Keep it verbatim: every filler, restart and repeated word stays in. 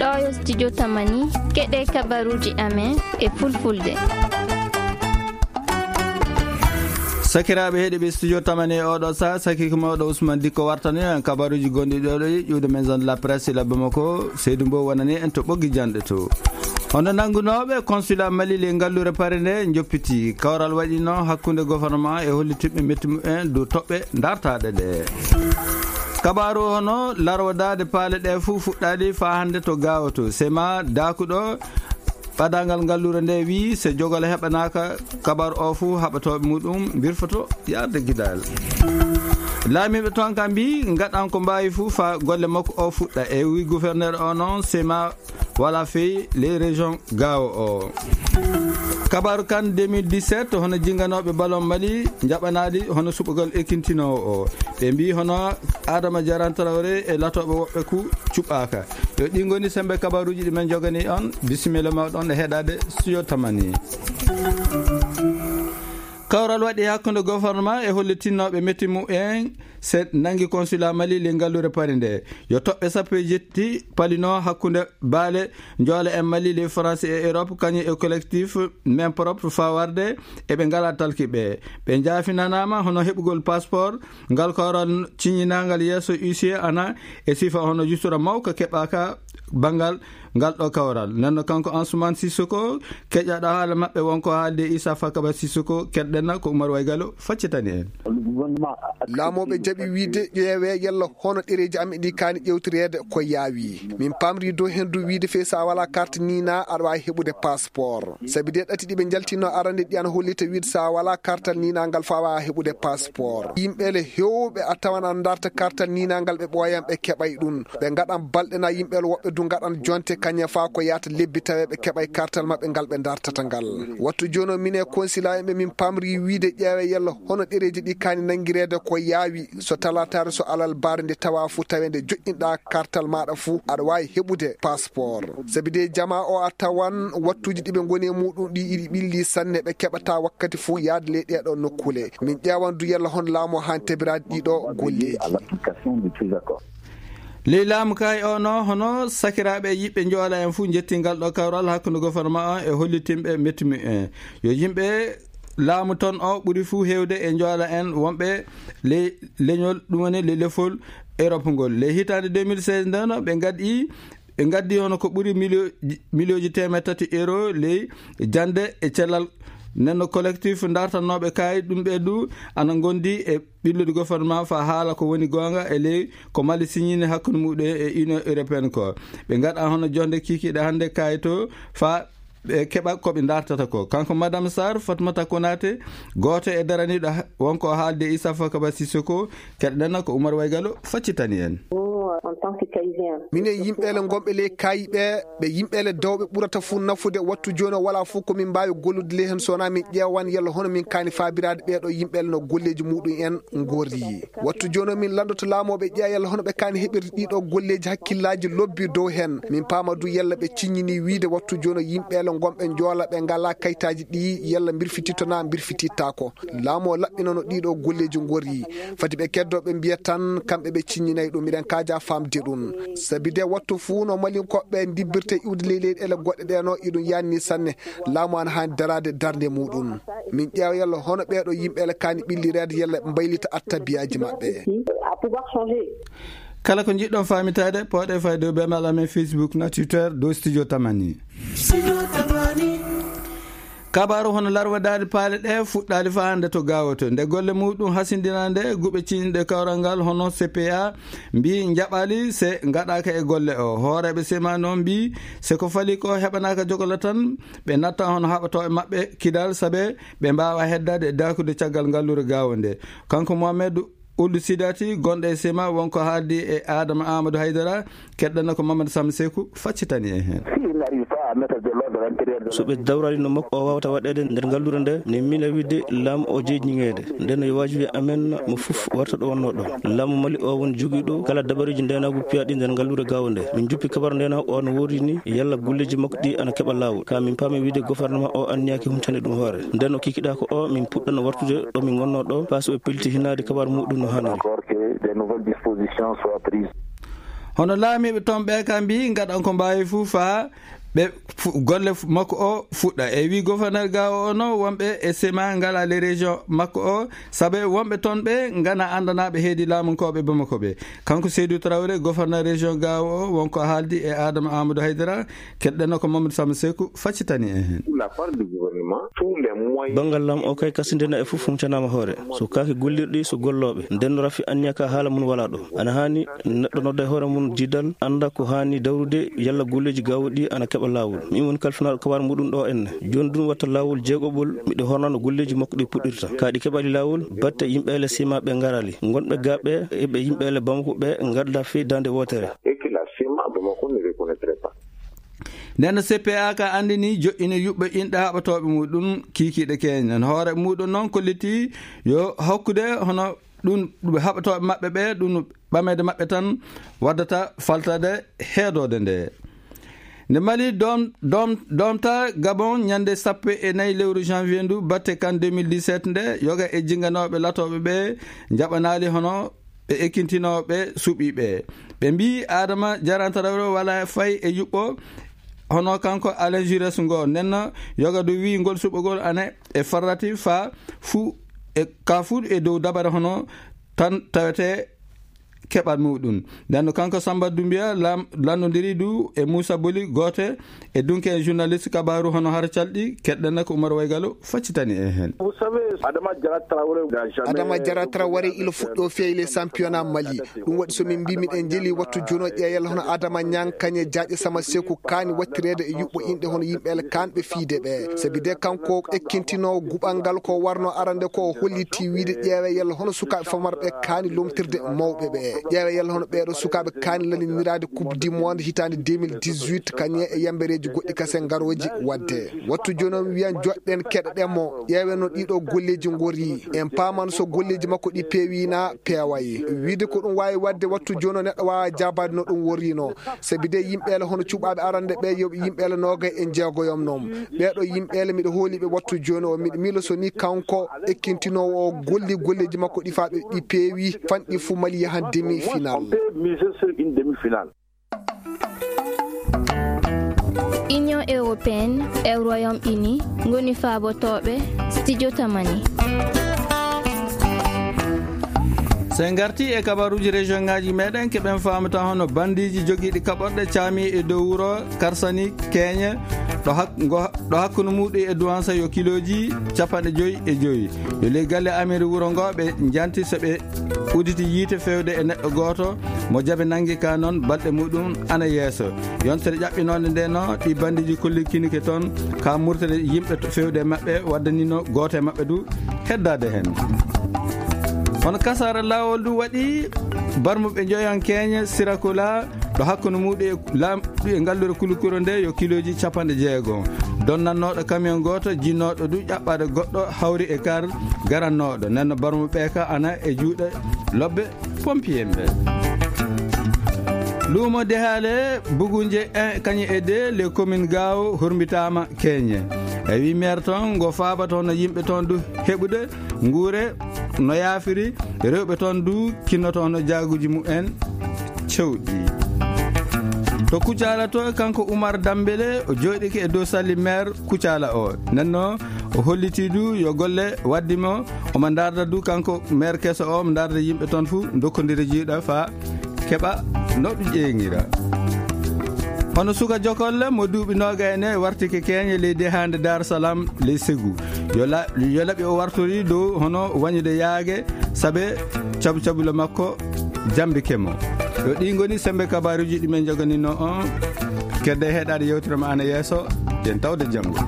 Ɗoo yo studio Tamani, keɗee kabaruuji amen e fulfulde. Sakiraaɓe heɗiiɓe studio Tamani e oɗo saa, sakiike mawɗo Ousmane Dikko wartani en kabaruuji gonɗi ɗoo ɗo ƴuwde maison de la presse e labbe makko, Seydou Mbow wonani en to ɓoggi janɗe to. Hono nanngunooɓe consulat Mali ley ngalluure Paris nde njoppiti. Kawral waɗiino hakkunde gouvernement e hollititɓe metti mumen dow toɓɓe dartaaɗe ɗe. Kabaaru hono larwadaade paale ɗe fuu fuɗɗaali faa hannde to Gaawo to. Sema daakuɗo ɓadaangal ngalluure nde wii, so jogol heɓanaaka kabaaru o fuu, haɓatooɓe muɗum mbirfoto yaarde gidaal. Laamiiɓe toon kam mbii, ngaɗan ko mbaawi fuu faa golle makko o fuɗɗa. E wii gouverneur o noon, Sema wala fey ley région Gaawo o. Kabaaru kan deux mille dix-sept, hono jinnganooɓe ballon Mali njaɓanaali hono suɓagol ekintinoowo o. Ɓe mbii hono Adama Jaran Traoré e latooɓe woɓɓe ku cuɓaaka. Yo ɗi ngoni sembe kabaaruuji ɗi men njoganii on. Bisimilla mawɗo on e heɗaade studio Tamani. Kawral waɗi hakkunde gouvernement e hollitinnooɓe metti mumen se nanngi consulat Mali ley ngalluure Paris nde. Yo toɓɓe sappo e jetti palinoo hakkunde baale njoola en Mali ley France e Europe, kañum e collectif Main Propre faa warde e ɓe ngalaa talki ɓe. Ɓe njaafinanaama hono heɓugol passeport, ngal kawral ciññinaangal yeeso huissier ana e sifa hono justura mawka keɓaaka banngal ngal ɗoo kawral. Nden no kanko Ansoumane Sissoko, keƴaɗo haala maɓɓe won ko haalde Issa Fakaba Sissoko, keɗɗen na ko Oumar Waygalo faccitani en. Laamooɓe jaɓi wiide ƴeewee yalla hono ɗereeji amen ɗi kaani ƴeewtireede ko yaawi. Min paamri dow heen du wiide fey so a walaa carte niinaa aɗa waawi heɓude passeport. Sabi de ɗati ɗi ɓe njaltinno arande ɗi ana hollita wiide so a walaa kartal niinaangal faa waawa heɓude passeport. Yimɓe le heewɓe a tawan ana ndarta kartal niinaangal ɓe ɓooyan ɓe keɓay ɗum. Ɓe ngaɗan balɗe na yimɓe le woɓɓe du ngaɗan jonte kañe faa ko yaata lebbi tawee ɓe keɓay kartal maɓɓe ngal ɓe ndartata ngal. Wattu jooni o minen consulat en ɓe min paamri wiide ƴeewe yalla hono ɗereeji ɗi kaani nanngireede ko yaawi. So talaataare so alarbaare nde tawaa fuu tawee nde joƴƴinɗaa kartal maaɗa fuu aɗa waawi heɓude passeport. Sabi de jamaa o a tawan wattuuji ɗi ɓe ngoni e muuɗum ɗi iɗi ɓilli sanne ɓe keɓataa wakkati fuu yaade ley ɗee ɗoo nokkuule. Min ƴeewan du yalla hono laamu o haani tabiraade ɗii ɗoo golleeji. Ley laamu kay o no hono sakiraaɓe e yiɓɓe njoola en fuu njettii ngal ɗoo kawral hakkunde gouvernement on e hollitinɓe metti mumen. Yo yimɓe laamu ton o ɓuri fuu heewde e njoola en wonɓe ley leñol, ɗum woni ley lefol Europe ngol. Ley hitaande deux mille seize ndeno ɓe ngaddi, ɓe ngaddi hono ko ɓuri milio-, miliyooji teemeɗɗe tati euro ley jannde e cellal. Nden no collectif ndartannooɓe kay ɗum ɓe du ana ngondi e ɓillude gouvernement faa haala ko woni goonga e ley ko Mali siññini hakkunde muɗum e Union Européenne ko. Ɓe ngaɗa hono jonde kiikiiɗe hannde kay to faa ɓe keɓa ko ɓe ndartata ko. Kanko Madame Sarr, Fatmata Konaté, gooto e daraniiɗo ha-, wonko haalde Issa Fakaba Sissoko, keɗɗen na ko Oumar Waygalo faccitani en. Minen yimɓeele ngonɓe ley kaayi ɓe, ɓe yimɓeele dawɓe ɓurata fuu nafude. Wattu jooni o walaa fuu ko min mbaawi gollude ley heen so wonaa min ƴeewan yalla hono min kaani faabiraade ɓee ɗoo yimɓeele no golleeji muɗum en ngorri. Wattu jooni o min lanndoto laamooɓe ƴeewa yalla hono ɓe kaani heɓirde ɗii ɗoo golleeji hakkillaaji lobbi dow heen. Min paama du yalla ɓe ciññinii wiide wattu jooni o yimɓeele ngonɓe njoola ɓe ngalaa kaytaaji ɗii yalla mbirfititto naa mbirfitittaako. Laamu o laɓɓinano ɗii ɗoo golleeji ngorri. Fati ɓe keddoo ɓe mbiya tan kamɓe ɓe ciññinay ɗum. Miɗen kaaja faamde ɗum. Sabi de wattu fuu no Malinkoɓe ndibbirta iwde ley leyɗeele goɗɗe ɗee no iɗum yaanni sanne. Laamu ana haani daraade darnde muɗum. Min ƴeewa yalla hono ɓee ɗoo yimɓeele kaani ɓillireede yalla ɓe mbaylita attabiyaaji maɓɓe. Kala ko njiɗɗon faamitaade, pooɗee fayde dow beenal amen Facebook na Twitter dow Studio Tamani. Kabaaru hono larwadaade paale ɗee fuɗɗaali faa hannde to Gaawo to. Nde golle muɗum hasindinaande, guɓe ciñɗe kawral ngal hono C P A mbii njaɓaali se ngaɗaaka e golle o. Hooreeɓe sema noon mbii se ko fali ko heɓanaaka jogola tan, ɓe natta hono haɓatooɓe maɓɓe kidal sabe ɓe mbaawa heddaade e daakude caggal ngalluure Gaawo nde. Kanko Mohamed Ould Sidati, gonɗo e sema, wonko haaldi e Adama Amadou Haydara, keɗɗen ko Mamadou Sam Seku faccitani en heen. Si il n'arrive pas à mettre de l'ordre à l'intérieur de... So ɓe dawraali no makko o waawata waɗeede nder ngalluure nde, ne miila wiide laamu o jeyi ñiŋeede. Nden no yo waajibi amen mo fof warta ɗo wonnoo ɗo. Laamu Mali o woni jogiiɗo kala dabareeji ndeenaagu piyaaɗi nder ngalluure Gaawo nde. Min njuppi kabaru ndeenaagu o no woori ni, yalla golleeji makko ɗi ana keɓa laawol. Ka min paami wiide gouvernement o anniyaaki humpitande ɗum hoore. Nden o kikiɗaa ko o min puɗɗano wartude ɗo min ngonnoo ɗo, faa so ɓe pelliti hinaade kabaaru muɗum no haaniri. Encore que des nouvelles dispositions soient prises. Hono laamiiɓe toon ɓee ka mbii ngaɗan ko mbaawi fuu faa ɓe golle makko o fuɗɗa. E wii goforneer gaawo o no wonɓe e sema ngalaa ley region makko o, sabe wonɓe toon ɓe nganaa anndanaaɓe heedi laamunkooɓe bamako ɓe. Kanko seydu trawre goforneer region gaawo o won ko haaldi e aadama amadou haydara. Keɗɗeno ko mamadou sama seku faccitani en heen. Banngal laamu o kay kasindena e fof fumcanaama hoore. So kaake gollirɗi so gollooɓe nden no rafi anniya ka haala mum walaa ɗo. Ana haani neɗɗo nodda e hoore mum diidal annda ko haani dawrude yalla golleeji gaawo ɗi ana keɓa laawol. Miin woni kalfinaaɗo kabaar muɗum ɗo enne. Jooni ɗum watta laawol jeegoɓol miɗo hornano golleeji makko ɗi puɗɗirta kaa ɗi keɓaali laawol. Batte yimɓeele sima ɓe ngaraali ngonɓe gaaɓe eɓe yimɓeele bamako ɓe ngadda fii daande wootere. Nden no cpa ka anndini joɗɗini yuɓɓe inɗe haɓatooɓe muɗum kiikiiɗe keñen hoore muɗum noon kolliti yo hokkude hono ɗum haɓatooɓe maɓɓe ɓe ɗum ɓameede maɓɓe tan waddata faltade heedoode nde. Nde mali doomta gabon ñande sappo e nayi lewru janvier ndu batte kan deux mille dix-sept nde yoga e jinganooɓe latooɓe ɓe njaɓanaali hono ɓe ekkintinooɓe suɓiiɓe. Ɓe mbii aadama jarantaraw wala fay e yuɓɓo hono kanko alain jures ngo nenno yoga du wii ngol suɓogol ana e farrati faa fuu e ka fuu e dow dabare hono tan tawetee keɓal muɗum. Nden no kanko samba dumbiya lanndondiri du e muusa boli goote e dunke en journaliste kabaru hono hara calɗi keɗɗen ko umar waygalo faccitani en heen. Adama jara traware ila fuɗɗo fiyay les championnat mali. Ɗum waɗi so min mbi miɗen jeli wattu jono ƴeeyal hono adama ñang kañe jaaƴe sama seku kaani wattireede e yuɓɓo inɗe hono yimɓe ele kaanɓe fiide ɓe sabi de kanko ekkintinoowo guɓal ngal ko warno arande ko o holliti wiide ƴeewee yalla hono sukaaɓe famarɓe kaani lomtirde mawɓe ɓe. Ƴeewee yalla hono ɓeeɗo sukaaɓe kaani laniniraade coupe du monde hitaande deux mille dix-huit kañe e yambereeji goɗɗi kasen ngarooji waɗde. Wattu jooni o mi wiyan joɗɗen keɗoɗen mo ƴeewen no ɗiɗo golleeji ngori. En paaman so golleeji makko ɗi peewi na peeway. Wiide ko ɗum waawi waɗde wattu jooni o neɗɗo waawa jaabaade no ɗum worrino. Sabi de yimɓeele hono cuɓaaɓe arande ɓe yo yimɓeele noogay e jeegoyom noon. Ɓeeɗo yimɓeele miɗo hooli ɓe wattu jooni o miɗo miilo so ni kanko ekkintinoowo o golli golleeji makko ɗi faa ɓe ɗi peewi fanɗi fuu mali yahan demi final. Union européenne e royaume uni ngoni faabotooɓe studio tamani. So en ngartii e kabaruuji région ngaaji meɗen keɓen faamata hono bandiiji jogiiɗi kaɓorɗe caami e dow wuro karsani keeñe ɗo hakkunde muɗum e duwansa yo kilooji capanɗe joyi e joyi. Yo ley galle amiri wuro ngo ɓe njanti so ɓe uditi yiite fewde e neɗɗo gooto mo jabe nangi ka noon balɗe muɗum ana yeeso. Yontere ƴaɓɓinoonde nde no ɗi bandiiji kollikinike toon ka murtere yimɓe fewde e maɓɓe waddanino gooto e maɓɓe du heddaade heen. Hono kasaara laawol du waɗi barmuɓe njoyankeeñe sirakula ɗo hakkunde muɗum e laam e ngallure kulukuro nde yo kilooji capanɗe jeego. Donnannooɗo kamiyon gooto jinnooɗo du ƴaɓɓaade goɗɗo hawri e kar garannooɗo nenno barmuɓe ka ana e juuɗe lobbe pompiyemɓe. Luumo dehaale bugunje kañe e de le commune gaawo hormbitaama keeñe. E wi maire toon ngo faabata hono yimɓe toon du heɓude nguure no yaafiri rewɓe toon du kinnoto hono jaaguuji mumen cewɗi. To kucala to kanko umar dambele o jooɗike e dow salli maire kucala o nenno o holliti du yo golle waddi mo omo ndarda du kanko maire keso o omo ndarda yimɓe toon fuu dokkondira jiiɗa faa keɓa no ɗum ƴeeŋira. Hono suka jokolle mo duuɓi nooga e ne wartike keeñe ley dehaande dar salam ley segu yo laɓi o wartori dow hono wañude yaage sabe cabu cabule makko jambike mo. Yo ɗi ngoni sembe kabaruuji ɗi men joganino on kedde heɗaade yewtere ma ana yeeso. Yen tawde janngo.